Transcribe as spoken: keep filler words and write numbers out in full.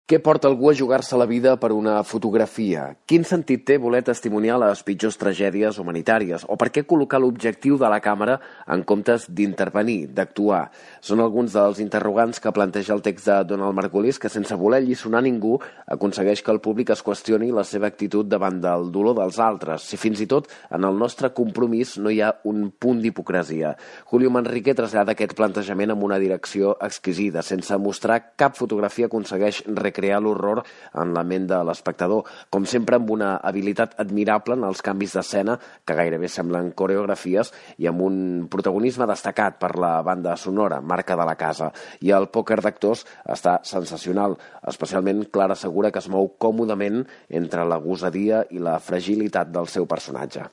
Què porta algú a jugar-se la vida per una fotografia? Quin sentit té voler testimoniar les pitjors tragèdies humanitàries? O per què col·locar l'objectiu de la càmera en comptes d'intervenir, d'actuar? Són alguns dels interrogants que planteja el text de Donald Margulis, que sense voler alliçonar ningú aconsegueix que el públic es qüestioni la seva actitud davant del dolor dels altres, si fins i tot en el nostre compromís no hi ha un punt d'hipocresia. Julio Manrique trasllada aquest plantejament amb una direcció exquisida. Sense mostrar cap fotografia aconsegueix recrear crear l'horror en la ment de l'espectador, com sempre amb una habilitat admirable en els canvis d'escena que gairebé semblen coreografies i amb un protagonisme destacat per la banda sonora, marca de la casa. I el pòquer d'actors està sensacional, especialment Clara Segura, que es mou còmodament entre la gosadia i la fragilitat del seu personatge.